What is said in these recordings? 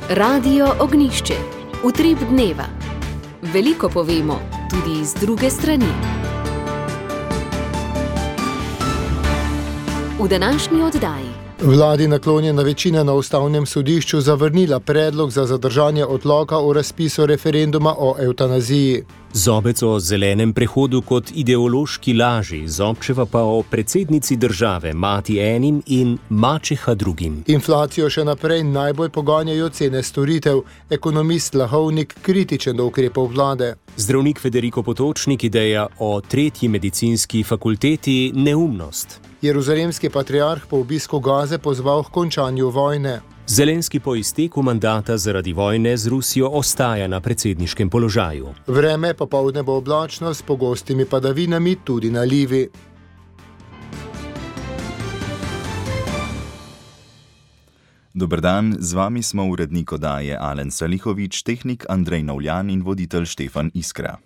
Radio Ognjišče. Utrip dneva. Veliko povemo, tudi z druge strani. V današnji oddaji. Vladi naklonjena večina na ustavnem sodišču zavrnila predlog za zadržanje odloka o razpisu referenduma o evtanaziji. Zobec o zelenem prehodu kot ideološki laži, Zobčeva pa o predsednici države, mati enim in mačeha drugim. Inflacijo še naprej najbolj poganjajo cene storitev. Ekonomist Lahovnik kritičen do ukrepov vlade. Zdravnik Federico Potočnik ideja o tretji medicinski fakulteti neumnost. Jeruzalemski patriarh po obisku Gaze pozval k končanju vojne. Zelenski po izteku mandata zaradi vojne z Rusijo ostaja na predsedniškem položaju. Vreme popoldne bo oblačno s pogostimi padavinami, tudi nalivi. Dober dan, z vami smo urednik oddaje Alen Salihovič, tehnik Andrej Novljan in voditelj Štefan Iskra.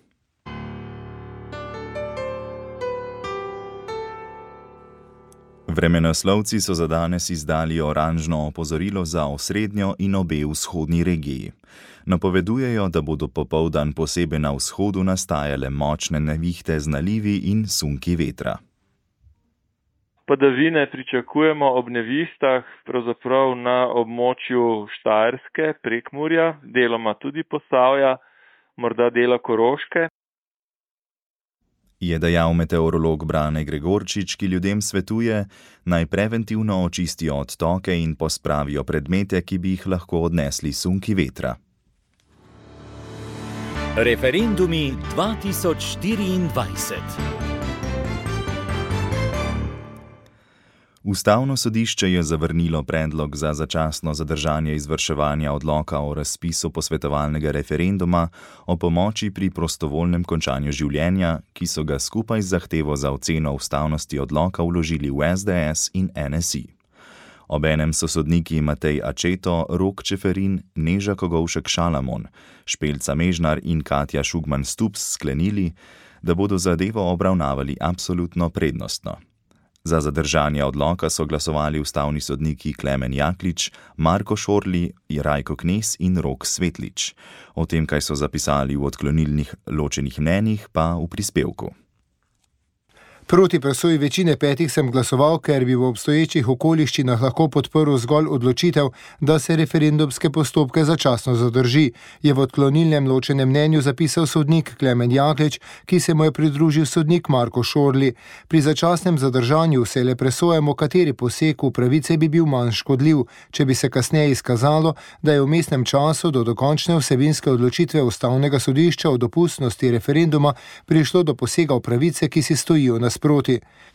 Vremenoslovci so za danes izdali oranžno opozorilo za osrednjo in obe vzhodni regiji. Napovedujejo, da bodo popoldan posebej na vzhodu nastajale močne nevihte z nalivi in sunki vetra. Padavine pričakujemo ob nevihtah, pravzaprav na območju Štajerske, Prekmurja, deloma tudi Posavja, morda dela Koroške. Je dejal meteorolog Brane Gregorčič, ki ljudem svetuje, naj preventivno očistijo odtoke in pospravijo predmete, ki bi jih lahko odnesli sunki vetra. Referendumi 2024. Ustavno sodišče je zavrnilo predlog za začasno zadržanje izvrševanja odloka o razpisu posvetovalnega referenduma o pomoči pri prostovoljnem končanju življenja, ki so ga skupaj z zahtevo za oceno ustavnosti odloka vložili v SDS in NSI. Obenem so sodniki Matej Ačeto, Rok Čeferin, Neža Kogovšek Šalamon, Špelca Mežnar in Katja Šugman Stups sklenili, da bodo zadevo obravnavali absolutno prednostno. Za zadržanje odloka so glasovali ustavni sodniki Klemen Jaklič, Marko Šorli, Rajko Knez in Rok Svetlič. O tem, kaj so zapisali v odklonilnih ločenih mnenjih, pa v prispevku. Proti presoji večine 5 sem glasoval, ker bi v obstoječih okoliščinah lahko podprl zgolj odločitev, da se referendumske postopke začasno zadrži, je v odklonilnem ločenem mnenju zapisal sodnik Klemen Jaklič, ki se mu je pridružil sodnik Marko Šorli. Pri začasnem zadržanju se le presojamo, kateri poseg v pravice bi bil manj škodljiv, če bi se kasneje izkazalo, da je v vmesnem času do dokončne vsebinske odločitve ustavnega sodišča o dopustnosti referenduma prišlo do posega v pravice, ki si stojijo nasproti.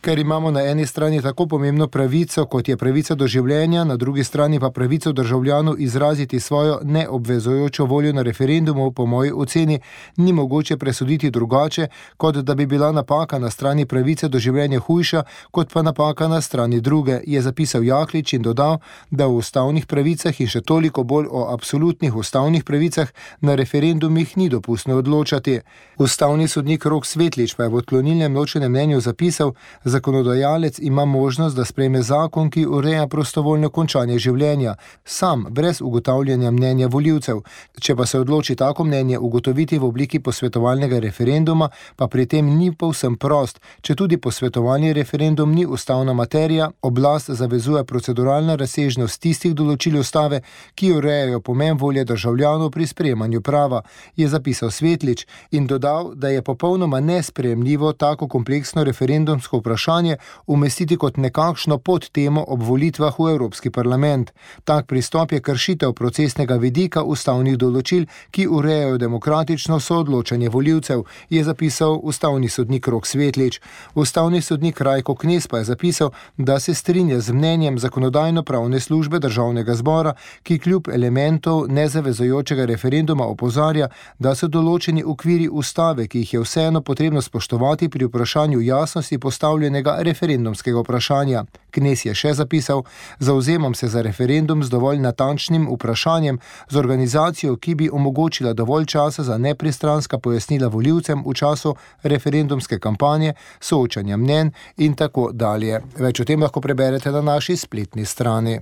Ker imamo na eni strani tako pomembno pravico, kot je pravica do življenja, na drugi strani pa pravico državljanov izraziti svojo neobvezujočo voljo na referendumu, po moji oceni ni mogoče presoditi drugače, kot da bi bila napaka na strani pravice do življenja hujša, kot pa napaka na strani druge, je zapisal Jaklič in dodal, da o ustavnih pravicah in še toliko bolj o absolutnih ustavnih pravicah na referendumih ni dopustno odločati. Ustavni sodnik Rok Svetlič pa je v odklonilnem ločenem mnenju zapisal, zakonodajalec ima možnost, da sprejme zakon, ki ureja prostovoljno končanje življenja, sam, brez ugotavljanja mnenja volivcev. Če pa se odloči tako mnenje ugotoviti v obliki posvetovalnega referenduma, pa pri tem ni povsem prost. Če tudi posvetovalni referendum ni ustavna materija, oblast zavezuje proceduralna razsežnost tistih določil ustave, ki urejajo pomen volje državljanov pri sprejemanju prava, je zapisal Svetlič in dodal, da je popolnoma nesprejemljivo tako kompleksno referendumsko vprašanje umestiti kot nekakšno podtemo ob volitvah v Evropski parlament. Tak pristop je kršitev procesnega vidika ustavnih določil, ki urejajo demokratično soodločanje volivcev, je zapisal ustavni sodnik Rok Svetlič. Ustavni sodnik Rajko Knez pa je zapisal, da se strinja z mnenjem Zakonodajno-pravne službe Državnega zbora, ki kljub elementov nezavezujočega referenduma opozarja, da so določeni okviri ustave, ki jih je vseeno potrebno spoštovati pri vprašanju jasnosti postavljenega referendumskega vprašanja. Knez je še zapisal, zavzemam se za referendum z dovolj natančnim vprašanjem, z organizacijo, ki bi omogočila dovolj časa za nepristranska pojasnila volivcem v času referendumske kampanje, soočanja mnenj in tako dalje. Več o tem lahko preberete na naši spletni strani.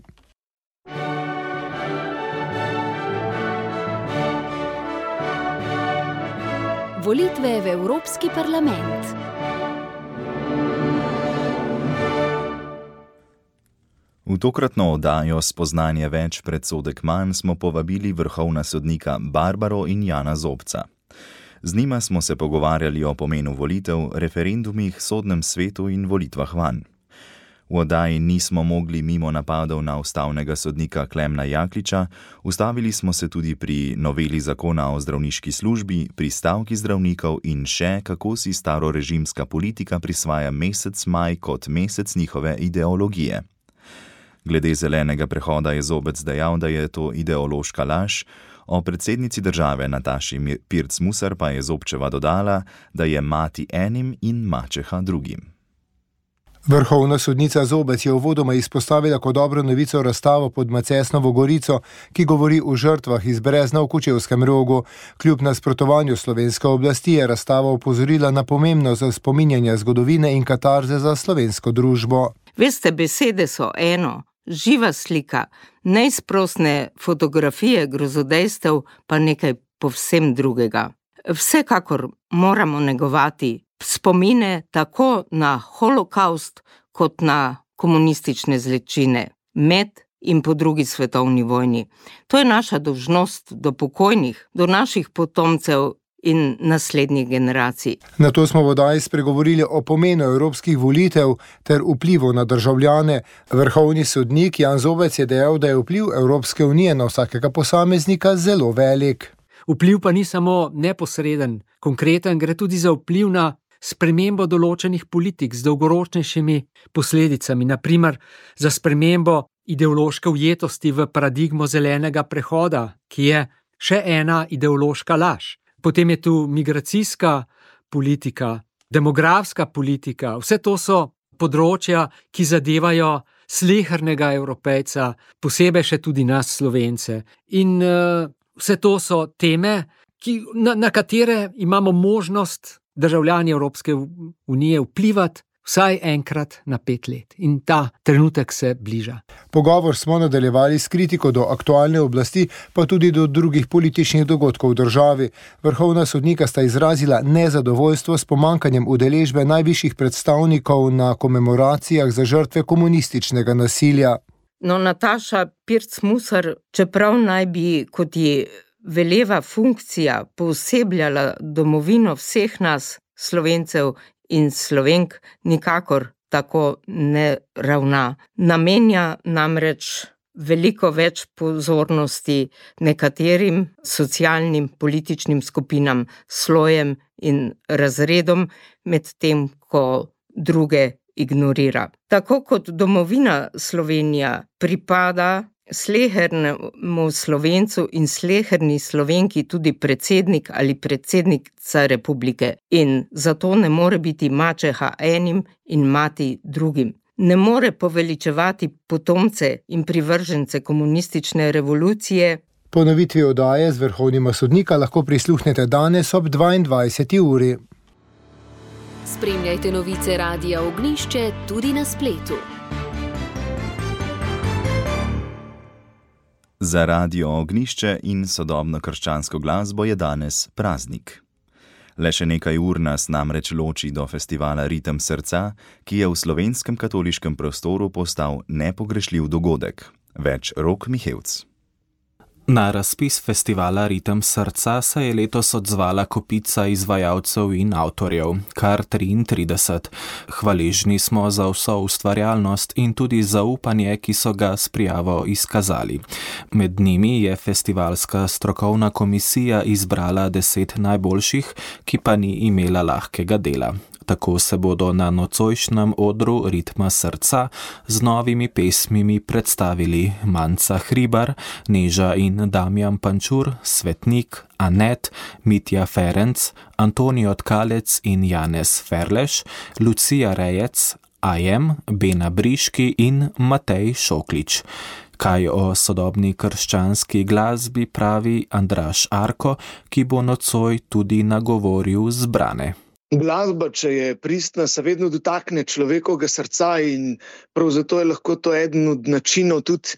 Volitve v Evropski parlament. V tokratno oddajo Spoznanje več predsodek manj smo povabili vrhovna sodnika Barbaro in Jana Zobca. Z njima smo se pogovarjali o pomenu volitev, referendumih, sodnem svetu in volitvah vanj. V oddaji nismo mogli mimo napadov na ustavnega sodnika Klemna Jakliča, ustavili smo se tudi pri noveli zakona o zdravniški službi, pri stavki zdravnikov in še, kako si starorežimska politika prisvaja mesec maj kot mesec njihove ideologije. Glede zelenega prehoda je Zobec dejal, da je to ideološka laž, o predsednici države Nataši Pirc Musar pa je Zobčeva dodala, da je mati enim in mačeha drugim. Vrhovna sodnica Zobec je uvodoma izpostavila kot dobro novico razstavo pod Macesnovo gorico, ki govori o žrtvah iz Brezna v Kočevskem Rogu. Kljub nasprotovanju slovenske oblasti je razstava opozorila na pomembnost za spominjanje zgodovine in katarze za slovensko družbo. Veste, besede so eno, živa slika, neizprosne fotografije grozodejstev pa nekaj povsem drugega. Vsekakor moramo negovati spomine tako na holokaust kot na komunistične zločine med in po drugi svetovni vojni. To je naša dolžnost do pokojnih, do naših potomcev in naslednjih generacij. Na to smo v oddaji spregovorili o pomenu evropskih volitev ter vplivu na državljane. Vrhovni sodnik Jan Zobec je dejal, da je vpliv Evropske unije na vsakega posameznika zelo velik. Vpliv pa ni samo neposreden, konkreten, gre tudi za vpliv na spremembo določenih politik z dolgoročnejšimi posledicami, naprimer za spremembo ideološke ujetosti v paradigmo zelenega prehoda, ki je še ena ideološka laž. Potem je tu migracijska politika, demografska politika, vse to so področja, ki zadevajo slehernega Evropejca, posebej še tudi nas Slovence. In vse to so teme, na katere imamo možnost državljani Evropske unije vplivati vsaj enkrat na 5 let. In ta trenutek se bliža. Pogovor smo nadaljevali s kritiko do aktualne oblasti, pa tudi do drugih političnih dogodkov v državi. Vrhovna sodnika sta izrazila nezadovoljstvo s pomanjkanjem udeležbe najvišjih predstavnikov na komemoracijah za žrtve komunističnega nasilja. No, Nataša Pirc Musar, čeprav naj bi, kot ji veleva funkcija, poosebljala domovino vseh nas, Slovencev in Slovenk, nikakor tako ne ravna. Namenja namreč veliko več pozornosti nekaterim socialnim, političnim skupinam, slojem in razredom, medtem ko druge ignorira. Tako kot domovina Slovenija pripada slehernemu Slovencu in sleherni Slovenki tudi predsednik ali predsednica republike in zato ne more biti mačeha enim in mati drugim. Ne more poveličevati potomce in privržence komunistične revolucije. Ponovitvi oddaje z vrhovnima sodnika lahko prisluhnete danes ob 22. uri. Spremljajte novice Radia Ognjišče tudi na spletu. Za Radio Ognjišče in sodobno krščansko glasbo je danes praznik. Le še nekaj ur nas namreč loči do festivala Ritem srca, ki je v slovenskem katoliškem prostoru postal nepogrešljiv dogodek. Več Rok Mihevc. Na razpis festivala Ritem srca se je letos odzvala kopica izvajalcev in avtorjev, kar 33. Hvaležni smo za vso ustvarjalnost in tudi zaupanje, ki so ga s prijavo izkazali. Med njimi je festivalska strokovna komisija izbrala 10 najboljših, ki pa ni imela lahkega dela. Tako se bodo na nocojšnjem odru Ritma srca z novimi pesmimi predstavili Manca Hribar, Neža in Damjan Pančur, Svetnik, Anet, Mitja Ferenc, Antonijo Tkalec in Janez Ferleš, Lucija Rejec, Ajem, Bena Briški in Matej Šoklič. Kaj o sodobni krščanski glasbi pravi Andraž Arko, ki bo nocoj tudi nagovoril zbrane. Glasba, če je pristna, se vedno dotakne človekovega srca in prav zato je lahko to eden od načinov tudi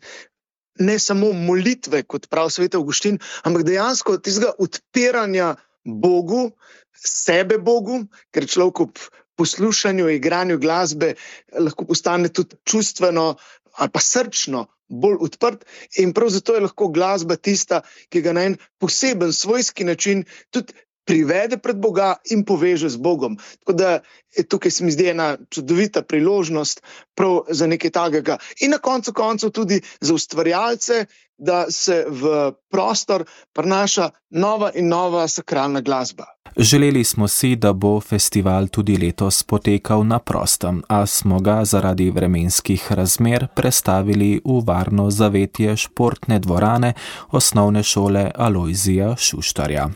ne samo molitve, kot pravi svet Avguštin, ampak dejansko tistega odpiranja Bogu, sebe Bogu, ker človek ob poslušanju, igranju glasbe lahko postane tudi čustveno ali pa srčno bolj odprt in prav zato je lahko glasba tista, ki ga na en poseben svojski način tudi privede pred Boga in poveže z Bogom. Tako da tukaj se mi zdi ena čudovita priložnost prav za nekaj takega. In na koncu koncev tudi za ustvarjalce, da se v prostor prinaša nova in nova sakralna glasba. Želeli smo si, da bo festival tudi letos potekal na prostem, a smo ga zaradi vremenskih razmer prestavili v varno zavetje športne dvorane osnovne šole Alojzija Šuštarja.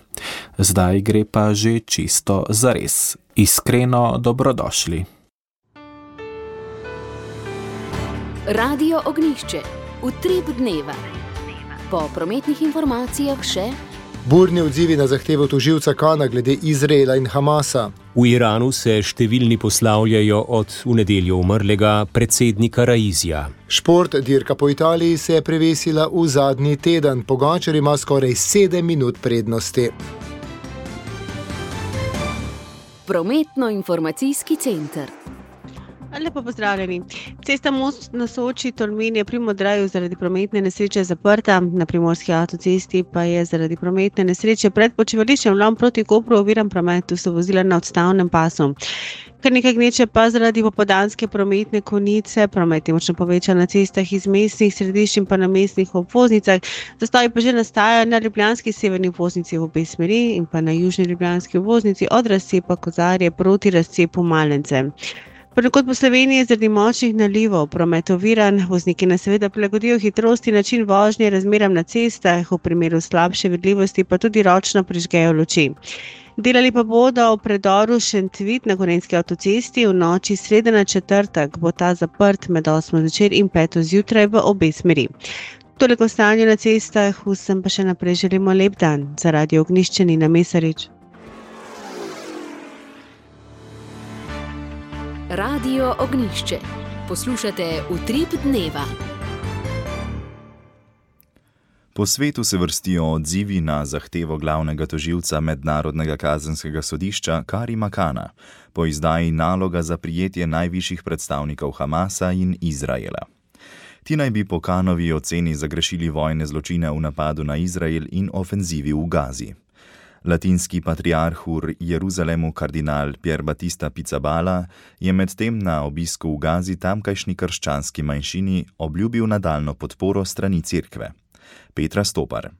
Zdaj gre pa že čisto zares. Iskreno dobrodošli. Radio Ognjišče. Utrip dneva. Po prometnih informacijah še burni odzivi na zahtevo tožilca Kana glede Izraela in Hamasa. V Iranu se številni poslavljajo od v nedeljo umrlega predsednika Raizija. Šport dirka po Italiji se je prevesila v zadnji teden. Pogačar ima skoraj 7 minut prednosti. Prometno-informacijski center. Lepo pozdravljeni. Cesta Most na Soči Tolmin je pri Modraju zaradi prometne nesreče zaprta, na primorski avtocesti pa je zaradi prometne nesreče pred počivališčem Lom proti Kopru oviran promet, tu so vozila na odstavnem pasu. Kar nekaj gneče pa zaradi popoldanske prometne konice, promet je močno povečan na cestah iz mestnih središč in pa na mestnih obvoznicah. Zastoji pa že nastajajo na ljubljanski severni obvoznici v obe smeri in pa na južni ljubljanski obvoznici od razcepa Kozarje proti razcepu Malence. Ponekod po Sloveniji je zaradi močnih nalivov promet oviran, vozniki nas seveda prilagodijo hitrost in način vožnje razmeram na cestah, v primeru slabše vidljivosti pa tudi ročno prižgejo luči. Delali pa bodo v predoru Šentvit na Gorenjski avtocesti v noči srede na četrtek, bo ta zaprt med 8 zvečer in 5 zjutraj v obe smeri. Toliko stanju na cestah, vsem pa še naprej želimo lep dan. Za Radio Ognjišče Nina Mesarič. Radio Ognjišče. Poslušate Utrip dneva. Po svetu se vrstijo odzivi na zahtevo glavnega tožilca Mednarodnega kazenskega sodišča Karima Kana po izdaji naloga za prijetje najvišjih predstavnikov Hamasa in Izraela. Ti naj bi po Kanovi oceni zagrešili vojne zločine v napadu na Izrael in ofenzivi v Gazi. Latinski patriarh v Jeruzalemu kardinal Pier Battista Pizzaballa je medtem na obisku v Gazi tamkajšnji krščanski manjšini obljubil nadaljno podporo strani cerkve. Petra Stopar.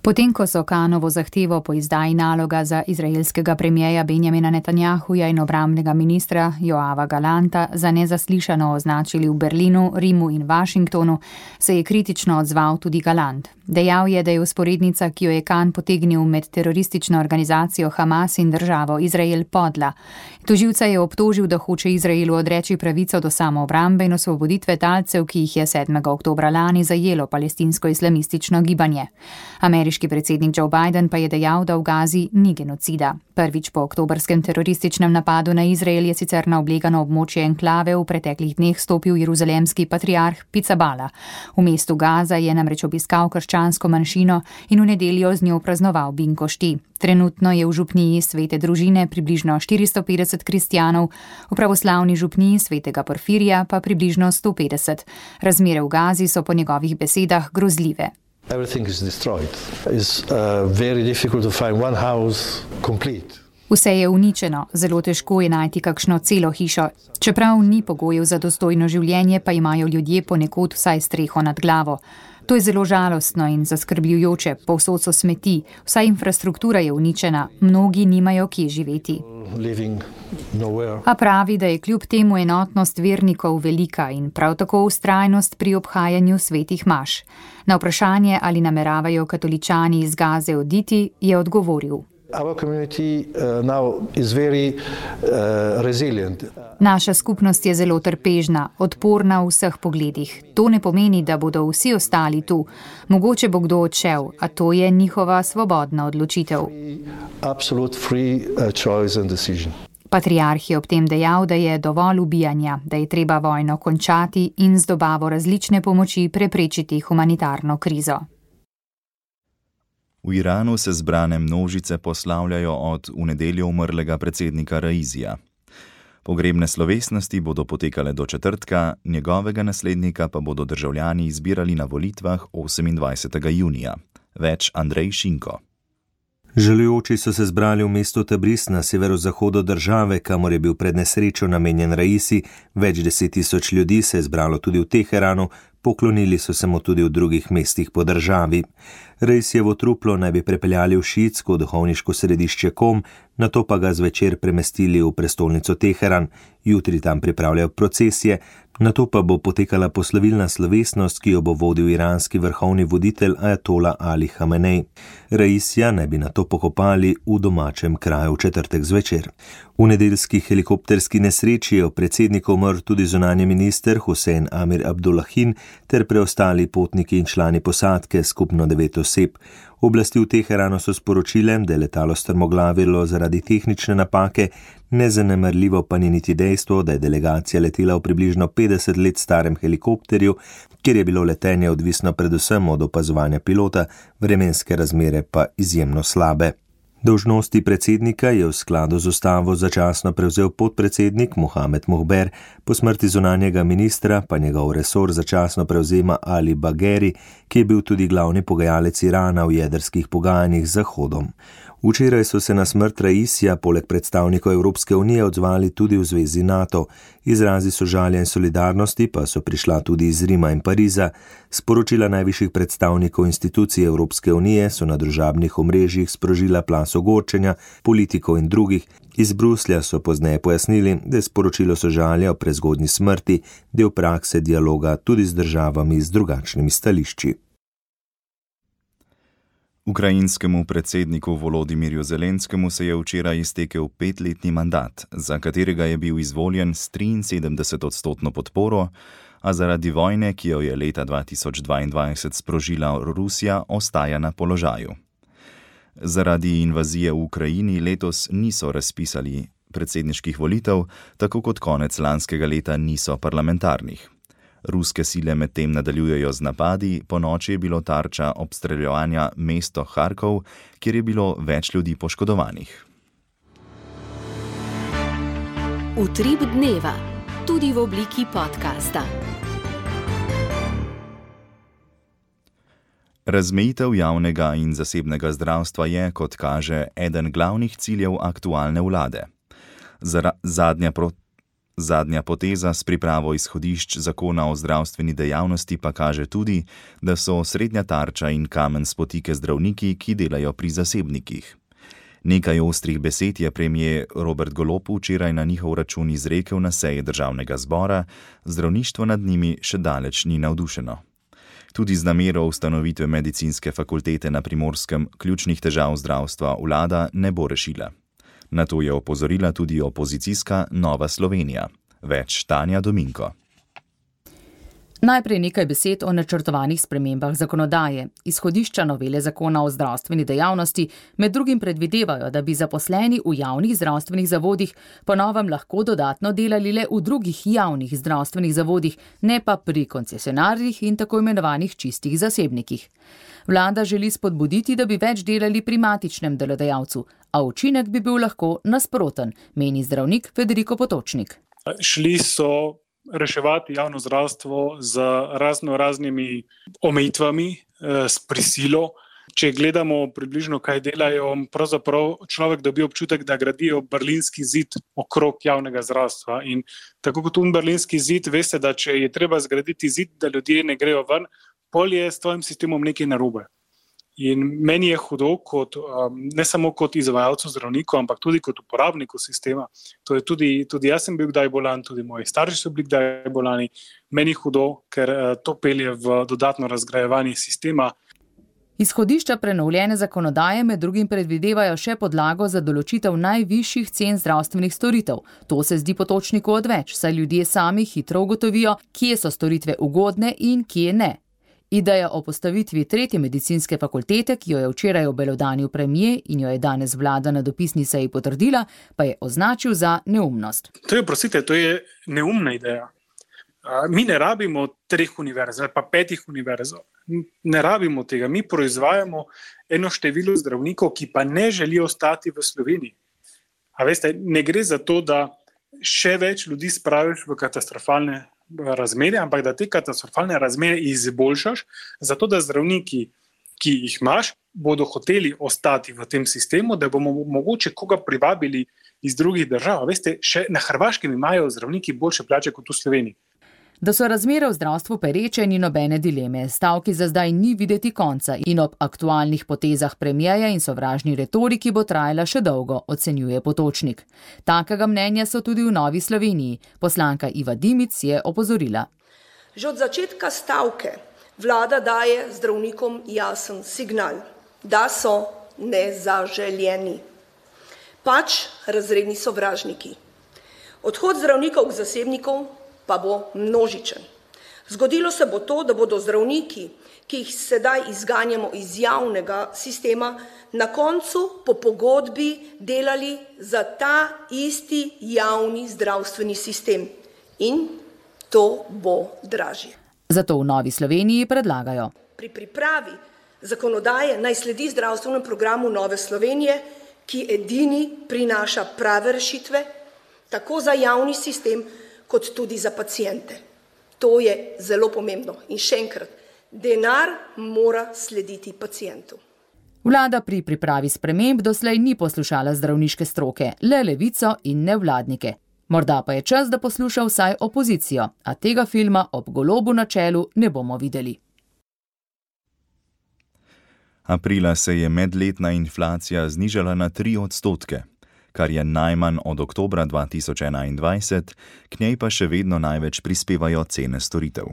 Potem, ko so Kanovo zahtevo po izdaji naloga za izraelskega premijeja Benjamina Netanjahuja in obrambnega ministra Joava Galanta za nezaslišano označili v Berlinu, Rimu in Washingtonu, se je kritično odzval tudi Galant. Dejal je, da je vzporednica, ki jo je Kan potegnil med teroristično organizacijo Hamas in državo Izrael, podla. Tožilca je obtožil, da hoče Izraelu odreči pravico do samoobrambe in osvoboditve talcev, ki jih je 7. oktobra lani zajelo palestinsko islamistično gibanje. Ameriški predsednik Joe Biden pa je dejal, da v Gazi ni genocida. Prvič po oktobrskem terorističnem napadu na Izrael je sicer na oblegano območje enklave v preteklih dneh stopil jeruzalemski patriarh Pizzaballa. V mestu Gaza je namreč obiskal krščansko manjšino in v nedeljo z njo praznoval binkošti. Trenutno je v župniji Svete družine približno 450 kristjanov, v pravoslavni župniji Svetega Porfirija pa približno 150. Razmere v Gazi so po njegovih besedah grozljive. Everything is destroyed. It's very difficult to find one house complete. Vse je uničeno, zelo težko je najti kakšno celo hišo. Čeprav ni pogojev za dostojno življenje, pa imajo ljudje ponekod vsaj streho nad glavo. To je zelo žalostno in zaskrbljujoče, povsod so smeti, vsa infrastruktura je uničena, mnogi nimajo kje živeti. A pravi, da je kljub temu enotnost vernikov velika in prav tako vztrajnost pri obhajanju svetih maš. Na vprašanje, ali nameravajo katoličani iz Gaze oditi, je odgovoril. Naša skupnost je zelo trpežna, odporna v vseh pogledih. To ne pomeni, da bodo vsi ostali tu. Mogoče bo kdo odšel, a to je njihova svobodna odločitev. Patriarh je ob tem dejal, da je dovolj ubijanja, da je treba vojno končati in z dobavo različne pomoči preprečiti humanitarno krizo. V Iranu se zbrane množice poslavljajo od v nedeljo umrlega predsednika Raisija. Pogrebne slovesnosti bodo potekale do četrtka, njegovega naslednika pa bodo državljani izbirali na volitvah 28. junija. Več Andrej Šinko. Žalujoči so se zbrali v mestu Tabriz na severozahodu države, kamor je bil pred nesrečo namenjen Raisi. Več 10.000 ljudi se je zbralo tudi v Teheranu, poklonili so se mu tudi v drugih mestih po državi. Raisijevo truplo naj bi prepeljali v šiitsko duhovniško središče Kom, nato pa ga zvečer premestili v prestolnico Teheran. Jutri tam pripravljajo procesije, nato pa bo potekala poslovilna slovesnost, ki jo bo vodil iranski vrhovni voditelj Ajatola Ali Hamenej. Raisija naj bi nato pokopali v domačem kraju v četrtek zvečer. V nedeljski helikopterski nesreči je v predsedniku umrl tudi zunanji minister Hussein Amir Abdullahin ter preostali potniki in člani posadke, skupno 9 oseb. Oblasti v Teheranu so sporočile, da je letalo strmoglavilo zaradi tehnične napake, nezanemarljivo pa ni niti dejstvo, da je delegacija letela v približno 50 let starem helikopterju, kjer je bilo letenje odvisno predvsem od opazovanja pilota, vremenske razmere pa izjemno slabe. Dolžnosti predsednika je v skladu z ustavo začasno prevzel podpredsednik Mohamed Mohber, po smrti zunanjega ministra pa njegov resor začasno prevzema Ali Bagheri, ki je bil tudi glavni pogajalec Irana v jedrskih pogajanjih z Zahodom. Včeraj so se na smrt Raisija poleg predstavnikov Evropske unije odzvali tudi v zvezi NATO. Izrazi sožalja in solidarnosti pa so prišla tudi iz Rima in Pariza. Sporočila najvišjih predstavnikov institucij Evropske unije so na družabnih omrežjih sprožila plas ogorčenja, politikov in drugih. Iz Bruslja so pozneje pojasnili, da je sporočilo sožalja o prezgodnji smrti del prakse dialoga tudi z državami z drugačnimi stališči. Ukrajinskemu predsedniku Volodimirju Zelenskemu se je včeraj iztekel 5-letni mandat, za katerega je bil izvoljen s 73% podporo, a zaradi vojne, ki jo je leta 2022 sprožila Rusija, ostaja na položaju. Zaradi invazije v Ukrajini letos niso razpisali predsedniških volitev, tako kot konec lanskega leta niso parlamentarnih. Ruske sile medtem nadaljujejo z napadi, ponoči je bilo tarča obstreljevanja mesto Harkov, kjer je bilo več ljudi poškodovanih. Utrip dneva, tudi v obliki podcasta. Razmejitev javnega in zasebnega zdravstva je, kot kaže, eden glavnih ciljev aktualne vlade. Zadnja poteza s pripravo izhodišč zakona o zdravstveni dejavnosti pa kaže tudi, da so srednja tarča in kamen spotike zdravniki, ki delajo pri zasebnikih. Nekaj ostrih besed je premier Robert Golob včeraj na njihov račun izrekel na seji državnega zbora, zdravništvo nad njimi še daleč ni navdušeno. Tudi z namero ustanovitve medicinske fakultete na Primorskem ključnih težav zdravstva vlada ne bo rešila. Na to je opozorila tudi opozicijska Nova Slovenija. Več Tanja Dominko. Najprej nekaj besed o načrtovanih spremembah zakonodaje. Izhodišča novele zakona o zdravstveni dejavnosti med drugim predvidevajo, da bi zaposleni v javnih zdravstvenih zavodih po novem lahko dodatno delali le v drugih javnih zdravstvenih zavodih, ne pa pri koncesionarjih in tako imenovanih čistih zasebnikih. Vlada želi spodbuditi, da bi več delali pri matičnem delodajalcu, a učinek bi bil lahko nasproten, meni zdravnik Federico Potočnik. Šli so reševati javno zdravstvo z raznimi omejitvami, s prisilo. Če gledamo približno, kaj delajo, pravzaprav človek dobi občutek, da gradijo berlinski zid okrog javnega zdravstva. In tako kot berlinski zid, veste, da če je treba zgraditi zid, da ljudje ne grejo ven, pol je s tvojim sistemom nekaj narobe. In meni je hudo, ne samo kot izvajalcu zdravniku, ampak tudi kot uporabniku sistema. To je tudi jaz sem bil kdaj bolan, tudi moji starši so bili kdaj bolani. Meni je hudo, ker to pelje v dodatno razgrajevanje sistema. Izhodišča prenovljene zakonodaje med drugim predvidevajo še podlago za določitev najvišjih cen zdravstvenih storitev. To se zdi Potočniku odveč, saj ljudje sami hitro ugotovijo, kje so storitve ugodne in kje ne. Ideja o postavitvi 3. medicinske fakultete, ki jo je včeraj obelodanil premier in jo je danes vlada na dopisni seji potrdila, pa je označil za neumnost. To je neumna ideja. Mi ne rabimo 3 univerz ali pa 5 univerz. Ne rabimo tega. Mi proizvajamo eno število zdravnikov, ki pa ne želijo ostati v Sloveniji. A veste, ne gre za to, da še več ljudi spraviš v katastrofalne razmere, ampak da te katastrofalne razmere izboljšaš, zato da zdravniki, ki jih imaš, bodo hoteli ostati v tem sistemu, da bomo mogoče koga privabili iz drugih držav. Veste, še na Hrvaškem imajo zdravniki boljše plače kot v Sloveniji. Da so razmere v zdravstvu pereče, ni nobene dileme. Stavki za zdaj ni videti konca in ob aktualnih potezah premierja in sovražni retoriki bo trajala še dolgo, ocenjuje Potočnik. Takega mnenja so tudi v Novi Sloveniji. Poslanka Iva Dimic je opozorila. Že od začetka stavke vlada daje zdravnikom jasen signal, da so nezaželjeni. Pač razredni sovražniki. Odhod zdravnikov k zasebnikom pa bo množičen. Zgodilo se bo to, da bodo zdravniki, ki jih sedaj izganjamo iz javnega sistema, na koncu po pogodbi delali za ta isti javni zdravstveni sistem. In to bo dražje. Zato v Novi Sloveniji predlagajo. Pri pripravi zakonodaje naj sledi zdravstvenemu programu Nove Slovenije, ki edini prinaša prave rešitve, tako za javni sistem, kot tudi za paciente. To je zelo pomembno. In še enkrat, denar mora slediti pacientu. Vlada pri pripravi sprememb doslej ni poslušala zdravniške stroke, le Levico in nevladnike. Morda pa je čas, da posluša vsaj opozicijo, a tega filma ob Golobu na čelu ne bomo videli. Aprila se je medletna inflacija znižala na 3%, kar je najmanj od oktobra 2021, k njej pa še vedno največ prispevajo cene storitev.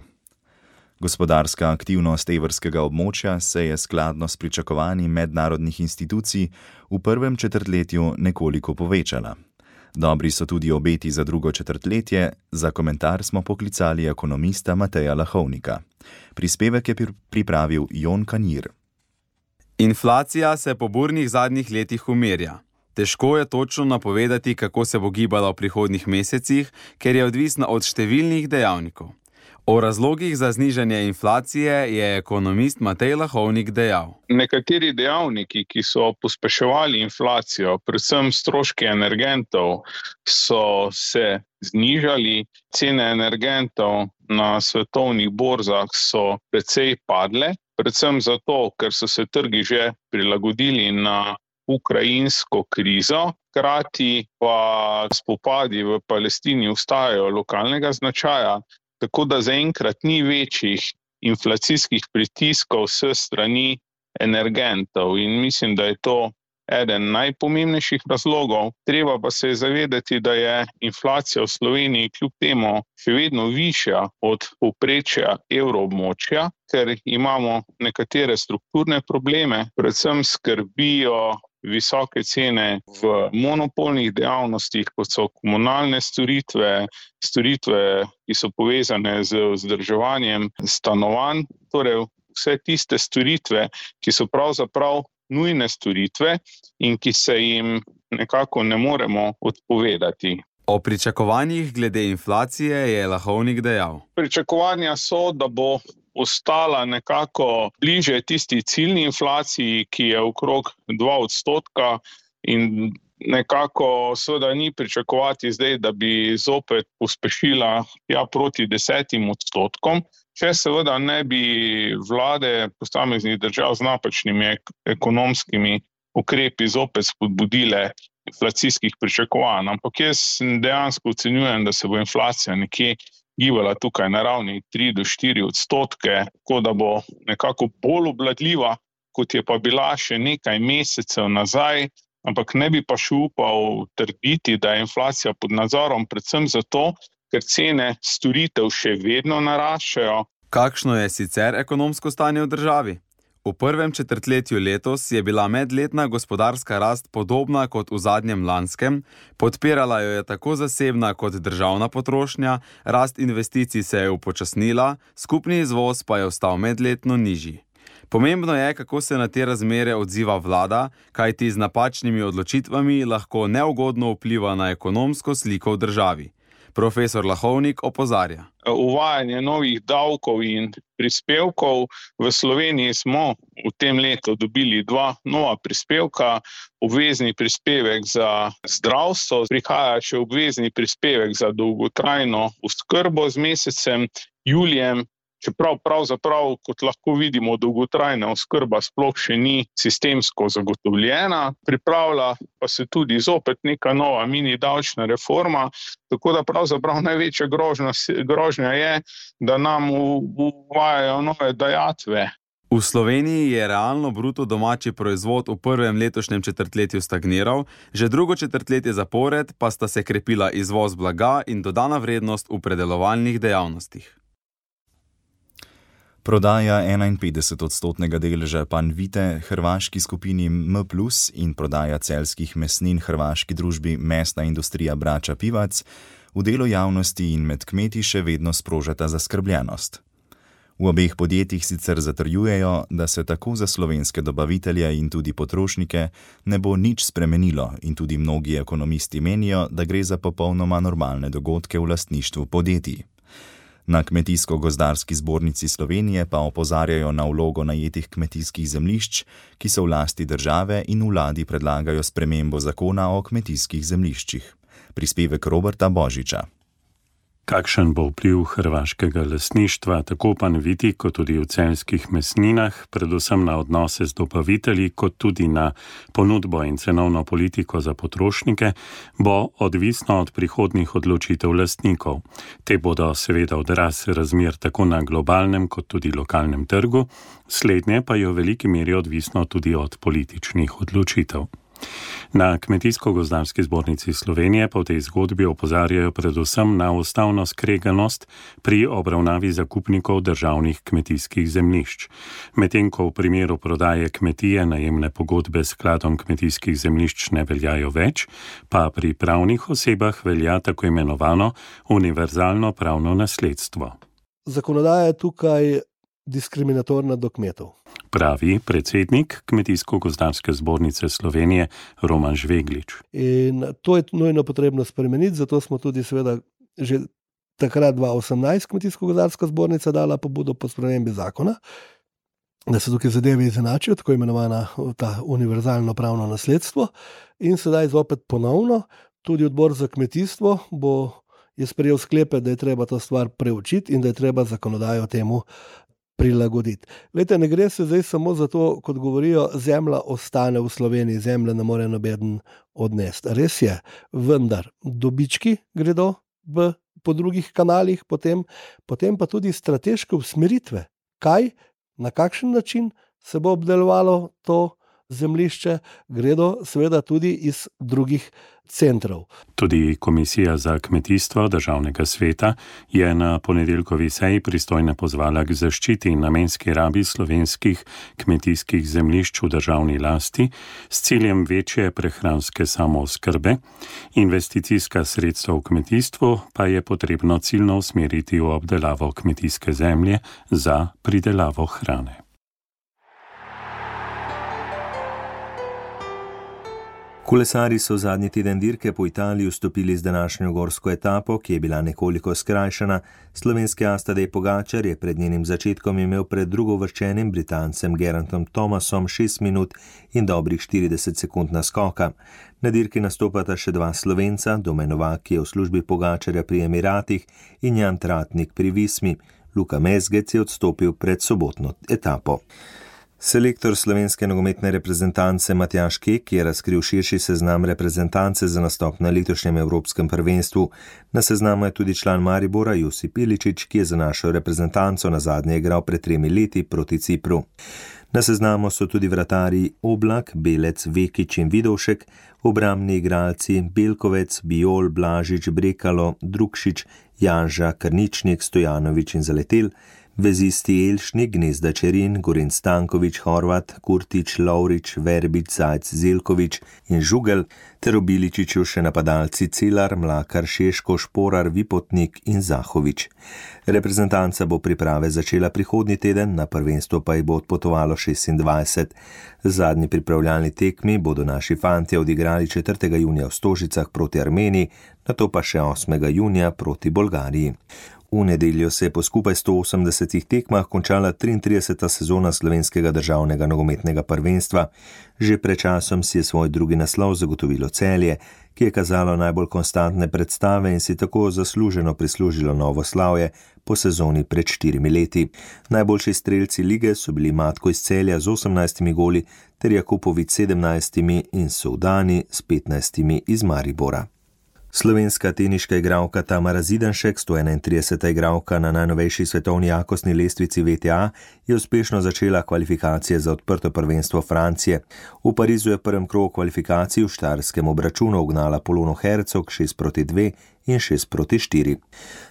Gospodarska aktivnost evrskega območja se je skladno s pričakovanji mednarodnih institucij v prvem četrtletju nekoliko povečala. Dobri so tudi obeti za drugo četrtletje, za komentar smo poklicali ekonomista Mateja Lahovnika. Prispevek je pripravil Jon Kanjir. Inflacija se po burnih zadnjih letih umirja. Težko je točno napovedati, kako se bo gibala v prihodnjih mesecih, ker je odvisna od številnih dejavnikov. O razlogih za znižanje inflacije je ekonomist Matej Lahovnik dejal. Nekateri dejavniki, ki so pospeševali inflacijo, predvsem stroški energentov, so se znižali. Cene energentov na svetovnih borzah so precej padle, predvsem zato, ker so se trgi že prilagodili na ukrajinsko krizo, hkrati pa spopadi v Palestini ostajajo lokalnega značaja, tako da zaenkrat ni večjih inflacijskih pritiskov s strani energentov in mislim, da je to eden najpomembnejših razlogov. Treba pa se zavedati, da je inflacija v Sloveniji kljub temu še vedno višja od povprečja evroobmočja, ker imamo nekatere strukturne probleme, predvsem skrbijo visoke cene v monopolnih dejavnostih, kot so komunalne storitve, ki so povezane z vzdrževanjem stanovanj, torej vse tiste storitve, ki so pravzaprav nujne storitve in ki se jim nekako ne moremo odpovedati. O pričakovanjih glede inflacije je Lahovnik dejal. Pričakovanja so, da bo ostala nekako bliže tisti ciljni inflaciji, ki je okrog 2% in nekako seveda ni pričakovati zdaj, da bi zopet pospešila proti 10%. Če seveda ne bi vlade posameznih držav z napačnimi ekonomskimi ukrepi zopet spodbudile inflacijskih pričakovanj. Ampak jaz dejansko ocenjujem, da se bo inflacija nekje gibala tukaj na ravni 3 do 4%, tako da bo nekako bolj obvladljiva, kot je pa bila še nekaj mesecev nazaj, ampak ne bi pa še upal trditi, da je inflacija pod nadzorom, predvsem zato, ker cene storitev še vedno naraščajo. Kakšno je sicer ekonomsko stanje v državi? V prvem četrtletju letos je bila medletna gospodarska rast podobna kot v zadnjem lanskem, podpirala jo je tako zasebna kot državna potrošnja, rast investicij se je upočasnila, skupni izvoz pa je ostal medletno nižji. Pomembno je, kako se na te razmere odziva vlada, kajti z napačnimi odločitvami lahko neugodno vpliva na ekonomsko sliko v državi. Profesor Lahovnik opozarja. Uvajanje novih davkov in prispevkov. V Sloveniji smo v tem letu dobili 2 nova prispevka, obvezni prispevek za zdravstvo, prihaja še obvezni prispevek za dolgotrajno oskrbo z mesecem julijem. Čeprav pravzaprav, kot lahko vidimo, dolgotrajna oskrba sploh še ni sistemsko zagotovljena, pripravlja pa se tudi zopet neka nova mini davčna reforma, tako da pravzaprav največja grožnja je, da nam uvajajo nove dajatve. V Sloveniji je realno bruto domači proizvod v prvem letošnjem četrtletju stagniral, že drugo četrtletje zapored pa sta se krepila izvoz blaga in dodana vrednost v predelovalnih dejavnostih. Prodaja 51% deleža Panvite hrvaški skupini M+ in prodaja celjskih mesnin hrvaški družbi Mesna industrija Brača Pivac v delu javnosti in med kmeti še vedno sprožata zaskrbljenost. V obeh podjetjih sicer zatrjujejo, da se tako za slovenske dobavitelje in tudi potrošnike ne bo nič spremenilo in tudi mnogi ekonomisti menijo, da gre za popolnoma normalne dogodke v lastništvu podjetij. Na Kmetijsko-gozdarski zbornici Slovenije pa opozarjajo na vlogo najetih kmetijskih zemljišč, ki so v lasti države in vladi predlagajo spremembo zakona o kmetijskih zemljiščih. Prispevek Roberta Božiča. Kakšen bo vpliv hrvaškega lastništva tako Panviti kot tudi v celjskih mesninah, predvsem na odnose z dobavitelji, kot tudi na ponudbo in cenovno politiko za potrošnike, bo odvisno od prihodnjih odločitev lastnikov. Te bodo seveda odraz razmer tako na globalnem kot tudi lokalnem trgu, slednje pa je v veliki meri odvisno tudi od političnih odločitev. Na Kmetijsko-gozdarski zbornici Slovenije pa v tej zgodbi opozarjajo predvsem na ustavno skreganost pri obravnavi zakupnikov državnih kmetijskih zemljišč. Medtem ko v primeru prodaje kmetije najemne pogodbe s skladom kmetijskih zemljišč ne veljajo več, pa pri pravnih osebah velja tako imenovano univerzalno pravno nasledstvo. Zakonodaja je tukaj diskriminatorna do kmetov, pravi predsednik Kmetijsko-gozdarske zbornice Slovenije Roman Žveglič. In to je nujno potrebno spremeniti, zato smo tudi seveda že takrat 2018 Kmetijsko-gozdarska zbornica dala pobudo po spremembi zakona, da se tukaj zadeve izenačijo, tako imenovana ta univerzalno pravno nasledstvo. In sedaj zopet ponovno, tudi odbor za kmetijstvo je sprejel sklepe, da je treba to stvar preučiti in da je treba zakonodajo temu prilagoditi. Glejte, ne gre se zdaj samo za to, kot govorijo, zemlja ostane v Sloveniji, zemlja ne more nobeden odnesti. Res je, vendar dobički gredo po drugih kanalih, potem pa tudi strateške usmeritve. Kaj, na kakšen način se bo obdelovalo to zemljišče, gredo seveda tudi iz drugih centrov. Tudi Komisija za kmetijstvo Državnega sveta je na ponedeljkovi seji pristojne pozvala k zaščiti in namenski rabi slovenskih kmetijskih zemljišč v državni lasti s ciljem večje prehranske samooskrbe. Investicijska sredstva v kmetijstvu pa je potrebno ciljno usmeriti v obdelavo kmetijske zemlje za pridelavo hrane. Kolesarji so zadnji teden dirke po Italiji vstopili z današnjo gorsko etapo, ki je bila nekoliko skrajšana. Slovenski as Tadej Pogačar je pred njenim začetkom imel pred drugovrščenim Britancem Gerantem Thomasom 6 minut in dobrih 40 sekund naskoka. Na dirki nastopata še 2 Slovenca, Domen Novak, ki je v službi Pogačarja pri Emiratih, in Jan Tratnik pri Vismi. Luka Mezgec je odstopil pred sobotno etapo. Selektor slovenske nogometne reprezentance Matjaž Kek je razkril širši seznam reprezentance za nastop na letošnjem evropskem prvenstvu. Na seznamu je tudi član Maribora Josip Iličić, ki je za našo reprezentanco nazadnje igral pred 3 leti proti Cipru. Na seznamu so tudi vratarji Oblak, Belec, Vekić in Vidovšek, obrambni igralci Belkovec, Bijol, Blažič, Brekalo, Drukšič, Janža, Krničnik, Stojanović in Zaletel, Vezisti Elšnik, Gnezda Čerin, Gorin Stankovič, Horvat, Kurtič, Lovrič, Verbič, Zajc, Zelkovič in Žugel, ter v Biličiću še napadalci Cilar, Mlakar, Šeško, Šporar, Vipotnik in Zahovič. Reprezentanca bo priprave začela prihodnji teden, na prvenstvo pa jih bo odpotovalo 26. Zadnji pripravljalni tekmi bodo naši fantje odigrali 4. junija v Stožicah proti Armeniji, nato pa še 8. junija proti Bolgariji. V nedeljo se je po skupaj 180 tekmah končala 33. sezona slovenskega državnega nogometnega prvenstva. Že pred časom si je svoj drugi naslov zagotovilo Celje, ki je kazalo najbolj konstantne predstave in si tako zasluženo prislužilo novo slavje po sezoni pred 4 leti. Najboljši strelci lige so bili Matko iz Celja z 18 goli ter Jakupović 17 in Soudani s 15 iz Maribora. Slovenska teniška igralka Tamara Zidanšek, 131. igralka na najnovejši svetovni jakostni lestvici WTA, je uspešno začela kvalifikacije za odprto prvenstvo Francije. V Parizu je v prvem krogu kvalifikacij v štajerskem obračunu ugnala Polono Hercog 6-2 in 6-4.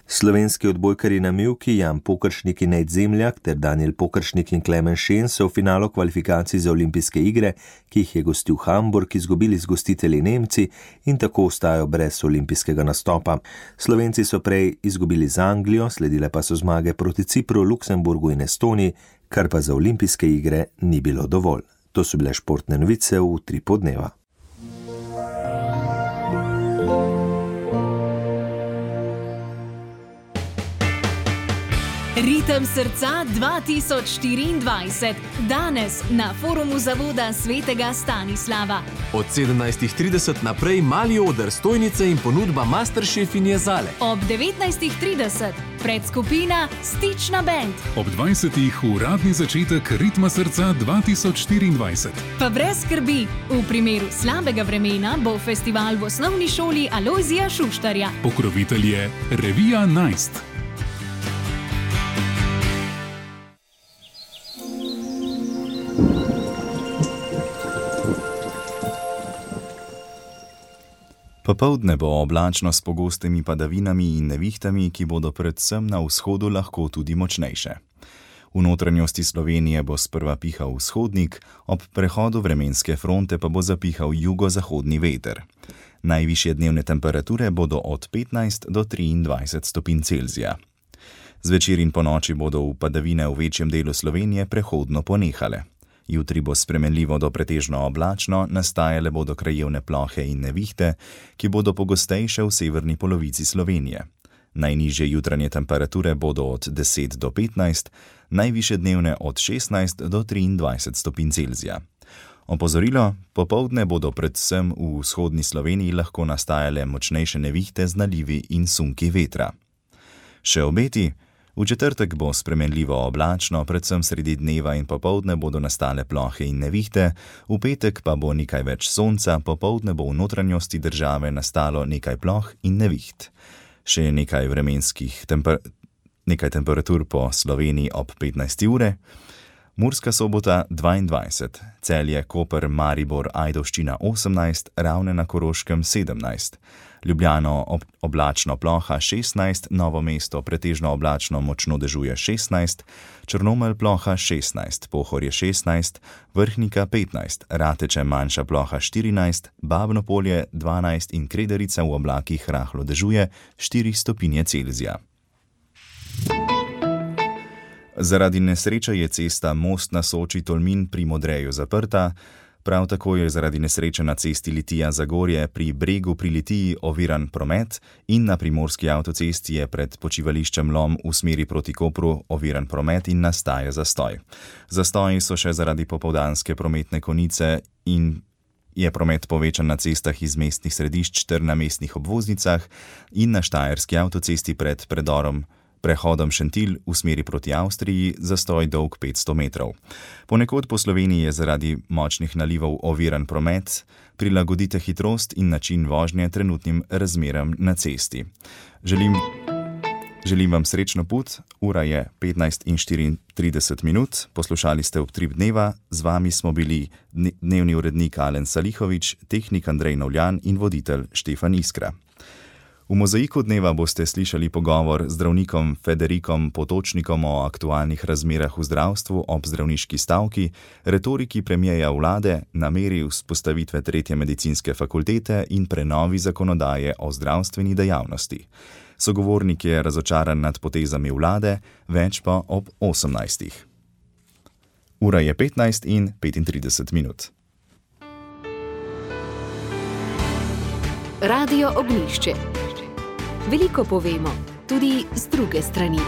Slovenski odbojkarji na mivki Jan Pokršnik in Nejc Zemljak ter Daniel Pokršnik in Klemen Šen so v finalu kvalifikacij za olimpijske igre, ki jih je gostil Hamburg, izgubili z gostitelji Nemci in tako ostajajo brez olimpijskega nastopa. Slovenci so prej izgubili z Anglijo, sledile pa so zmage proti Cipru, Luksemburgu in Estoniji, kar pa za olimpijske igre ni bilo dovolj. To so bile športne novice v 3 podneva. Ritem srca 2024. Danes na forumu Zavoda svetega Stanislava. Od 17:30 naprej mali oder stojnice in ponudba Masterchef in jezale. Ob 19:30 predskupina Stična band. Ob 20. uradni začetek Ritma srca 2024. Pa brez skrbi, v primeru slabega vremena bo festival v osnovni šoli Alojzija Šuštarja. Pokrovitelj je Revija Najst. Popoldne bo oblačno s pogostimi padavinami in nevihtami, ki bodo predvsem na vzhodu lahko tudi močnejše. V notranjosti Slovenije bo sprva pihal vzhodnik, ob prehodu vremenske fronte pa bo zapihal jugozahodni veter. Najvišje dnevne temperature bodo od 15 do 23 stopinj Celzija. Zvečer in ponoči bodo padavine v večjem delu Slovenije prehodno ponehale. Jutri bo spremenljivo do pretežno oblačno, nastajale bodo krajevne plohe in nevihte, ki bodo pogostejše v severni polovici Slovenije. Najnižje jutranje temperature bodo od 10 do 15, najvišje dnevne od 16 do 23 stopinj Celzija. Opozorilo, popoldne bodo predvsem v vzhodni Sloveniji lahko nastajale močnejše nevihte z nalivi in sunki vetra. Še obeti. V četrtek bo spremenljivo oblačno, predvsem sredi dneva in popoldne bodo nastale plohe in nevihte, v petek pa bo nekaj več sonca, popoldne bo v notranjosti države nastalo nekaj ploh in neviht. Še nekaj nekaj temperatur po Sloveniji ob 15. ure. Murska Sobota 22, Celje, Koper, Maribor, Ajdovščina 18, Ravne na Koroškem 17. Ljubljano oblačno ploha 16, Novo mesto pretežno oblačno močno dežuje 16, Črnomelj ploha 16, Pohorje 16, Vrhnika 15, Rateče manjša ploha 14, Babno Polje 12 in Krederica v oblakih rahlo dežuje 4 stopinje Celzija. Zaradi nesreče je cesta Most na Soči Tolmin pri Modreju zaprta, prav tako je zaradi nesreče na cesti Litija-Zagorje pri Bregu pri Litiji oviran promet in na primorski avtocesti je pred počivališčem Lom v smeri proti Kopru oviran promet in nastaja zastoj. Zastoji so še zaradi popoldanske prometne konice in je promet povečan na cestah iz mestnih središč ter na mestnih obvoznicah in na štajerski avtocesti pred prehodom Šentilj v smeri proti Avstriji, zastoj dolg 500 metrov. Ponekod po Sloveniji je zaradi močnih nalivov oviran promet, prilagodite hitrost in način vožnje trenutnim razmeram na cesti. Želim vam srečno pot, ura je 15:34, poslušali ste Utrip dneva, z vami smo bili dnevni urednik Alen Salihovič, tehnik Andrej Novljan in voditelj Štefan Iskra. V Mozaiku dneva boste slišali pogovor z zdravnikom Federikom Potočnikom o aktualnih razmerah v zdravstvu ob zdravniški stavki, retoriki premijeja vlade, nameri vzpostavitve 3. medicinske fakultete in prenovi zakonodaje o zdravstveni dejavnosti. Sogovornik je razočaran nad potezami vlade, več pa ob 18. Ura je 15:35. Radio Ognjišče. Veliko povemo, tudi z druge strani.